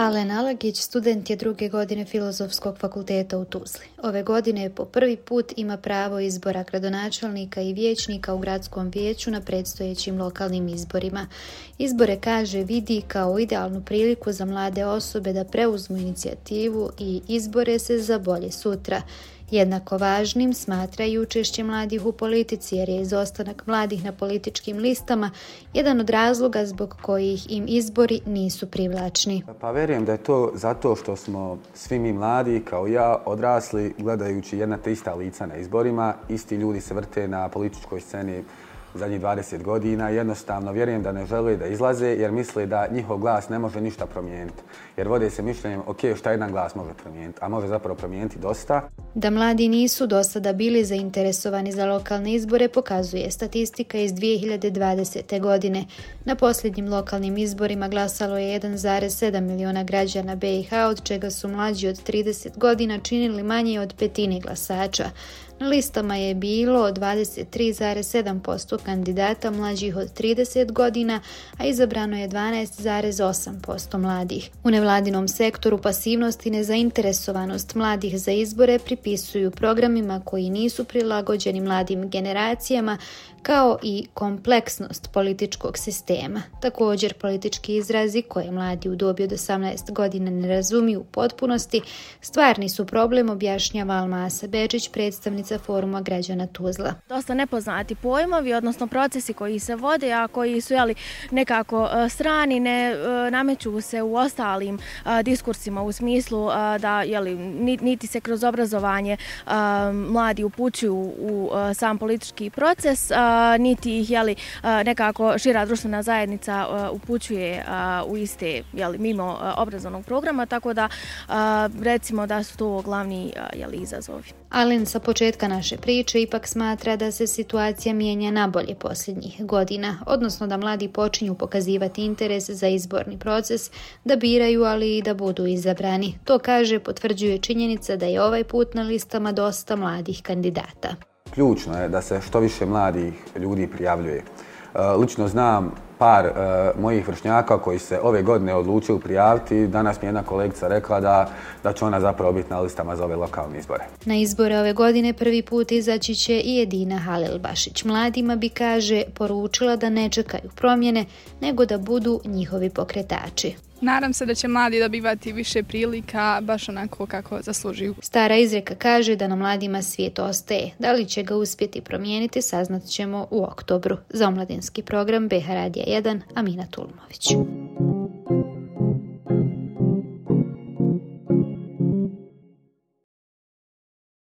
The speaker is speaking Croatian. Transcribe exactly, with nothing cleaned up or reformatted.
Alen Alagić student je druge godine Filozofskog fakulteta u Tuzli. Ove godine po prvi put ima pravo izbora gradonačelnika i vijećnika u gradskom vijeću na predstojećim lokalnim izborima. Izbore, kaže, vidi kao idealnu priliku za mlade osobe da preuzmu inicijativu i izbore se za bolje sutra. Jednako važnim smatra i učešće mladih u politici, jer je izostanak mladih na političkim listama jedan od razloga zbog kojih im izbori nisu privlačni. Pa vjerujem da je to zato što smo svi mi mladi, kao ja, odrasli gledajući jedna te ista lica na izborima. Isti ljudi se vrte na političkoj sceni zadnjih dvadeset godina. Jednostavno vjerujem da ne žele da izlaze jer misle da njihov glas ne može ništa promijeniti. Jer vode se mišljenjem, ok, šta jedan glas može promijeniti, a može zapravo promijeniti dosta. Da mladi nisu do sada bili zainteresovani za lokalne izbore pokazuje statistika iz dvije hiljade dvadesete. godine. Na posljednjim lokalnim izborima glasalo je jedan zarez sedam miliona građana be i ha, od čega su mlađi od trideset godina činili manje od petine glasača. Na listama je bilo dvadeset tri zarez sedam posto kandidata mlađih od trideset godina, a izabrano je dvanaest zarez osam posto mladih. U nevladinom sektoru pasivnost i nezainteresovanost mladih za izbore pripisuju programima koji nisu prilagođeni mladim generacijama, kao i kompleksnost političkog sistema. Također, politički izrazi koje mladi u dobi od osamnaest godina ne razumiju u potpunosti stvarni su problem, objašnjava Almasa Bečić, predstavnica Foruma građana Tuzla. Dosta nepoznati pojmovi, odnosno procesi koji se vode, a koji su jeli, nekako strani, ne nameću se u ostalim a, diskursima u smislu a, da jeli, niti se kroz obrazovanje a, mladi upućuju u a, sam politički proces, a, niti ih jeli, nekako šira društvena zajednica upućuje u iste jeli, mimo obrazovnog programa, tako da recimo da su to glavni jeli, izazovi. Alen sa početka naše priče ipak smatra da se situacija mijenja nabolje posljednjih godina, odnosno da mladi počinju pokazivati interes za izborni proces, da biraju, ali i da budu izabrani. To, kaže, potvrđuje činjenica da je ovaj put na listama dosta mladih kandidata. Ključno je da se što više mladih ljudi prijavljuje. Lično znam par uh, mojih vršnjaka koji se ove godine odlučili prijaviti. Danas mi je jedna kolegica rekla da, da će ona zapravo biti na listama za ove lokalne izbore. Na izbore ove godine prvi put izaći će i Edina Halilbašić. Mladima bi, kaže, poručila da ne čekaju promjene, nego da budu njihovi pokretači. Nadam se da će mladi dobivati više prilika, baš onako kako zaslužuju. Stara izreka kaže da na mladima svijet ostaje. Da li će ga uspjeti promijeniti, saznat ćemo u oktobru. Za omladinski program be ha Radija jedan, Amina Tulumović.